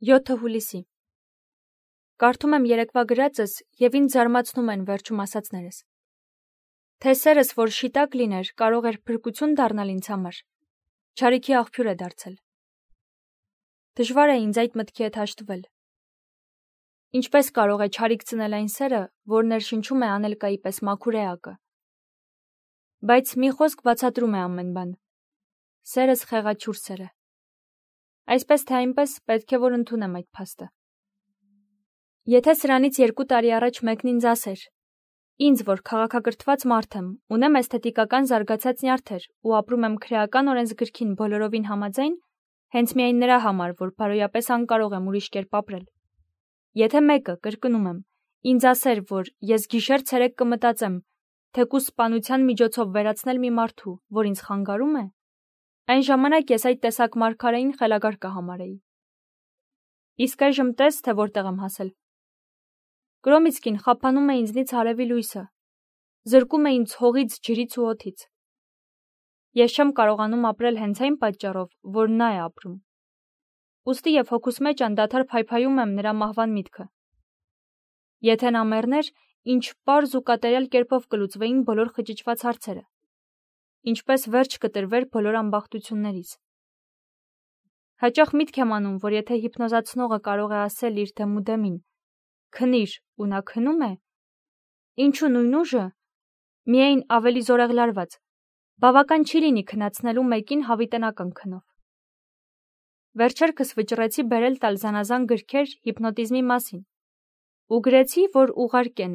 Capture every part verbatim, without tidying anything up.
յոթ հուլիսի։ Կարդում եմ երեկվա գրածս և ինձ զարմացնում են վերջում ասածներս։ Թե սերս, որ շիտակ լիներ, կարող էր փրկություն դառնալ ինձ համար, չարիքի աղբյուր է դարձել։ Դժվար է ինձ այդ մտքի հետ հաշտվել։ Ինչպես կարող է չարիք ծնել այն սերը, որ ներշնչում է անելկայի պես մաքուր էակը։ Բայց մի խոսք բացատրում է ամեն բան։ Սերս խեղաչուր սեր է։ Այսպես թե այնպես պետք է որ ընդունեմ այդ փաստը։ Եթե սրանից երկու տարի առաջ մեկն ինձ ասեր, ինձ, որ քաղաքակրթված մարդ եմ, ունեմ էսթետիկական զարգացած նյարդեր ու ապրում եմ քրեական օրենսգրքին բոլորովին համաձայն, հենց միայն նրա համար, որ բարոյապես անկարող եմ ուրիշ կերպ ապրել։ Եթե մեկը, կրկնում եմ, ինձ ասեր, որ ես գիշեր ցերեկ կմտածեմ, թեկուզ սպանության միջոցով վերացնել մի մարդու, որ ինձ խանգարում է, այն ժամանակ ես այդ տեսակ մարգարեին խելագար կհամարեի։ Իսկ այժմ տես, թե որտեղ եմ հասել։ Կրոմիցկին խափանում է ինձնից հարևի լույսը, զրկում է ինձ հողից, ջրից ու օդից։ Ես չեմ կարողանում ապրել հենց այն պատճառով, որ նա է ապրում։ Ուստի և հոգուս մեջ անդադար փայփայում եմ նրա մահվան միտքը։ Եթե նա մեռներ, ինչ պարզ ու կատարյալ կերպով կլուծվեին բոլոր խճճված հարցերը, ինչպես վերջ կտրվեր բոլոր ամբախտություններից։ Հաճախ միտք եմ անում, որ եթե հիպնոզացնողը կարող է ասել իր դեմուդեմին քնիր ու նա քնում է, ինչու նույն ուժը, միայն ավելի զորեղլարված, բավական չի լինի քնացնելու մեկին հավիտենական քնով։ Վերջերքս վճռեցի բերել տալ զանազան գրքեր հիպնոտիզմի մասին ու գրեցի, որ ուղարկեն,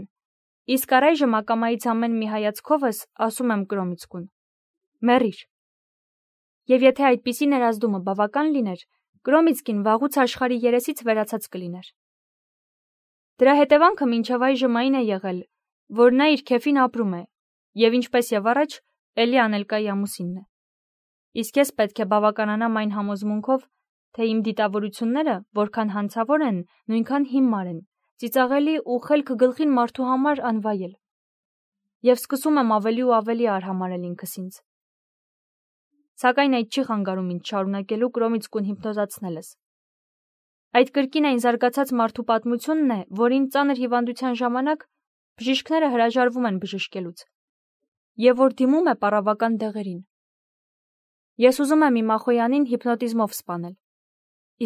իսկ առայժմ ակամայից ամեն մի հայացքովս ասում եմ Կրոմիցկուն. մեռիր։ Եվ եթե այդպիսի ներազդումը բավական լիներ, Կրոմիցկին վաղուց աշխարհի երեսից վերացած կլիներ։ Դրա հետևանքը մինչև այժմ այն է եղել, որ նա իր քեֆին ապրում է, և ինչպես և առաջ, էլի անելկայի ամուսինն է։ Իսկ ես պետք է բավականանամ այն համոզմունքով, թե իմ դիտավորությունները, որքան հանցավոր են, նույնքան հիմար են, ծիծաղելի ու խելքը գլխին մարդու համար անվայել։ Եվ սկսում եմ ավելի ու ավելի արհամարհել ինքս ինձ։ Սակայն այդ չի խանգարում ինձ շարունակելու Կրոմիցկուն հիպնոզացնելս։ Այդ կրկին այն զարգացած մարդու պատմությունն է, որին ծանր հիվանդության ժամանակ բժիշկները հրաժարվում են բժշկելուց, և որ դիմում է պառավական դեղերին։ Ես ուզում եմ իմ Ախոյանին հիպնոտիզմով սպանել,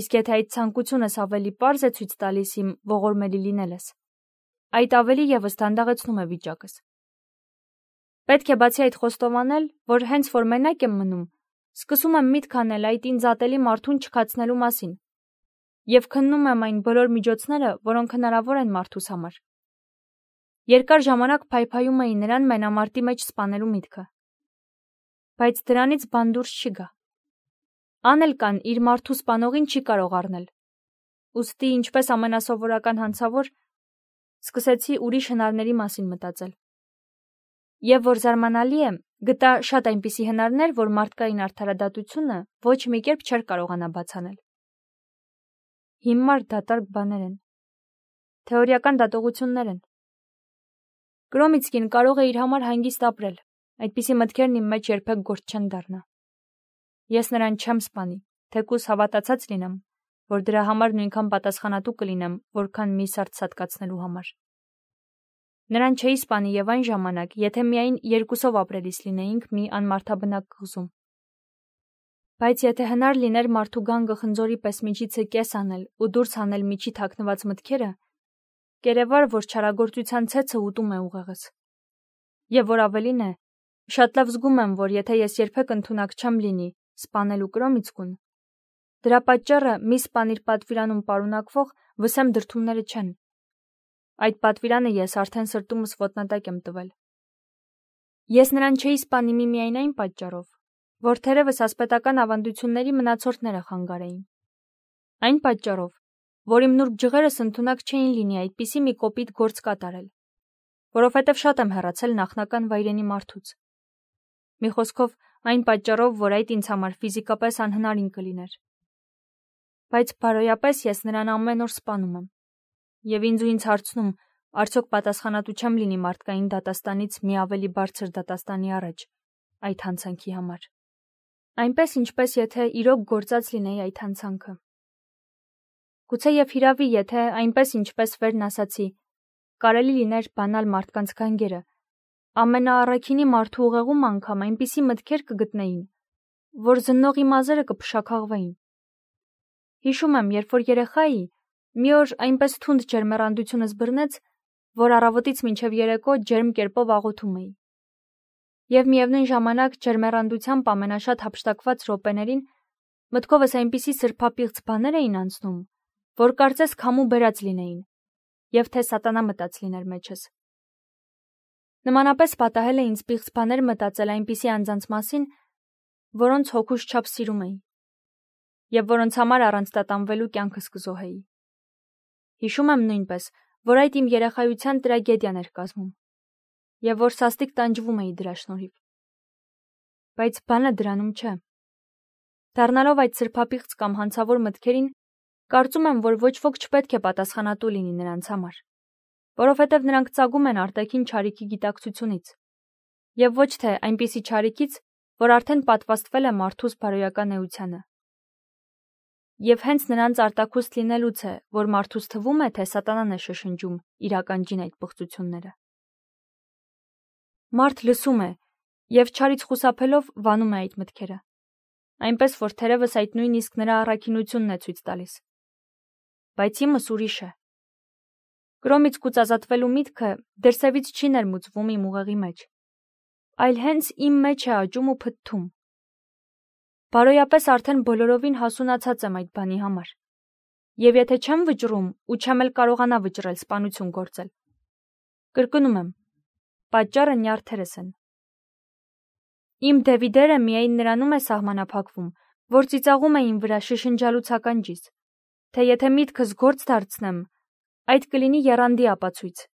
իսկ եթե այդ ցանկությունս ավելի պարզ է ցույց տալիս իմ ողորմելի լինելս, այդ ավելի ևս դանդաղեցնում է վիճակս։ Պետք է բացի այդ խոստովանել, որ հենց որ մենակ եմ մնում, սկսում եմ միտք անել այդ ինձ ատելի մարդուն չքացնելու մասին և քննում եմ այն բոլոր միջոցները, որոնք հնարավոր են մարդուս համար։ Երկար ժամանակ փայփայում էի նրան մենամարտի մեջ սպանելու միտքը։ Բայց դրանից բան դուրս չի գա։ Անել կան իր մարդու սպանողին չի կարող առնել։ Ուստի ինչպես ամենասովորական հանցավոր, սկսեցի ուրիշ հնարների մասին մտածել։ Եվ որ զարմանալի է, գտա շատ այնպիսի հնարներ, որ մարդկային արդարադատությունը ոչ մի կերպ չէր կարողանա բացանել։ Հիմար դատարկ բաներ են։ Թեորիական դատողություններ են։ Կրոմիցկին կարող է իր համար հանգիստ ապրել, այդպիսի մտքերն իմ մեջ երբեք գործ չեն դառնա։ Ես նրան չեմ սպանի, թեկուզ հավատացած լինեմ, որ դրա համար նույնքան պատասխանատու կլինեմ, որքան մի սարդ սատկացնելու համար։ Նրան չէի սպանի և այն ժամանակ, եթե միայն երկուսով ապրելիս լինեինք մի անմարդաբնակ կղզում։ Բայց եթե հնար լիներ մարդու գանգը խնձորի պես միջիցը կես անել ու դուրս հանել միջի թաքնված մտքերը, կերևար, որ չարագործության ցեցը ուտում է ուղեղս։ Եվ որ ավելին է, շատ լավ զգում եմ, որ եթե ես երբեք ընդունակ չեմ լինի սպանելու Կրոմիցկուն, դրա պատճառը մի սպանիր պատվիրանում պարունակվող վսեմ դրդումները չեն։ Այդ պատվիրանը ես արդեն սրտումս ոտնատակ եմ տվել։ Ես նրան չէի սպանի միմիայն այն պատճառով, որ թերևս ասպետական ավանդությունների մնացորդները խանգարեին։ Այն պատճառով, որ իմ նուրբ ջղերս ընդունակ չէին լինի այդպիսի մի կոպիտ գործ կատարել, որովհետև շատ եմ հեռացել նախնական վայրենի մարդուց։ Մի խոսքով, այն պատճառով, որ այդ ինձ համար ֆիզիկապես անհնարին կլիներ։ Բայց բարոյապես ես նրան ամեն օր սպանում եմ։ Եվ ինձ ու ինձ հարցնում, արդյոք պատասխանատու չեմ լինի մարդկային դատաստանից մի ավելի բարձր դատաստանի առաջ այդ հանցանքի համար։ Այնպես ինչպես եթե իրոք գործած լինեի այդ հանցանքը։ Գուցե եւ հիրավի, եթե այնպես ինչպես վերն ասացի, կարելի լիներ բանալ մարդկանց գանգերը, ամենաառաքինի մարդու ուղեղում անգամ այնպիսի մտքեր կգտնեին, որ զննողի մազերը կփշաքաղվեին։ Հիշում եմ, երբ որ երեխա էի, մի օր այնպես թունդ ջերմեռանդությունս բռնեց, որ առավոտից մինչև երեկո ջերմ կերպով աղոթում էի։ Եվ միևնույն ժամանակ ջերմեռանդությամբ ամենաշատ հափշտակված րոպեներին մտքովս այնպիսի սրբապիղծ բաներ էին անցնում, որ կարծես քամու բերած լինեին, եւ թե սատանա մտած լիներ մեջս։ Նմանապես պատահել է ինձ պիղծ բաներ մտածել այնպիսի անձանց մասին, որոնց հոգուս չափ սիրում էի, եւ որոնց համար առանց տատանվելու կյանքս կզոհեի։ Հիշում եմ նույնպես, որ այդ իմ երեխայության տրագեդիան էր կազմում, եւ որ սաստիկ տանջվում էի դրա շնորհիվ։ Բայց բանը դրանում չէ։ Դառնալով այդ սրբապիղծ կամ հանցավոր մտքերին, կարծում եմ, որ ոչ ոք չպետք է պատասխանատու լինի նրանց համար, որովհետև նրանք ծագում են արտաքին չարիքի գիտակցությունից, եւ ոչ թե այնպիսի չարիքից, որ արդեն պատվաստվել է մարդուս բարոյական էությանը։ Եվ հենց նրանց արտաքուստ լինելուց է, որ մարդուս թվում է, թե սատանան է շշնջում իր ականջին այդ բղծությունները։ Մարդ լսում է եւ չարից խուսափելով վանում է այդ մտքերը, այնպես որ թերևս այդ նույնիսկ նրա առաքինությունն է ցույց տալիս։ Բայց իմս ուրիշ է։ Կրոմից կուծազատվելու միտքը դրսևից չի ներմուծվում իմ ուղեղի մեջ, այլ հենց իմ մեջ է աճում ու փթթում։ Բարոյապես արդեն բոլորովին հասունացած եմ այդ բանի համար, եւ եթե չեմ վճռում ու չեմ էլ կարողանա վճռել սպանություն գործել, կրկնում եմ, պատճառը նյարդերս են։ Իմ Դևիդերը միայն նրանում է սահմանափակվում, որ ծիծաղում է իմ վրա շշնջալուց ականջիս, թե եթե միտքս գործ դարձնեմ, այդ կլինի եռանդի ապացույց,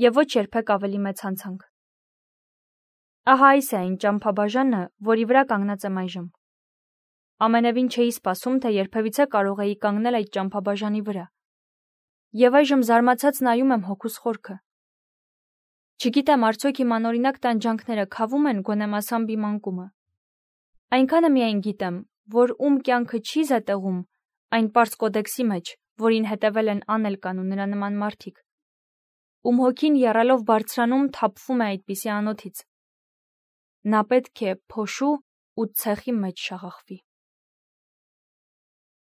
եւ ոչ երբեք ավելի մեծ հանցանք։ Ահա այս է այն ճամփաբաժանը, որի վրա կանգնած եմ այժմ։ Ամենևին չէի սպասում, թե երբևիցե կարող էի կանգնել այդ ճամփաբաժանի վրա, եւ այժմ զարմացած նայում եմ հոգուս խորքը։ Չգիտեմ, արդյոք իմ անօրինակ տանջանքները քավում են գոնե մասամբ իմ անկումը։ Այնքանը միայն գիտեմ, որ ում կյանքը չի զետեղում այն պարզ կոդեքսի մեջ, որին հետևել են Անելկան ու նրա նման մարդիկ, ում հոգին եռալով բարձրանում թափվում է այդպիսի անոթից, նա պետք է փոշու ու ցեխի մեջ շաղախվի։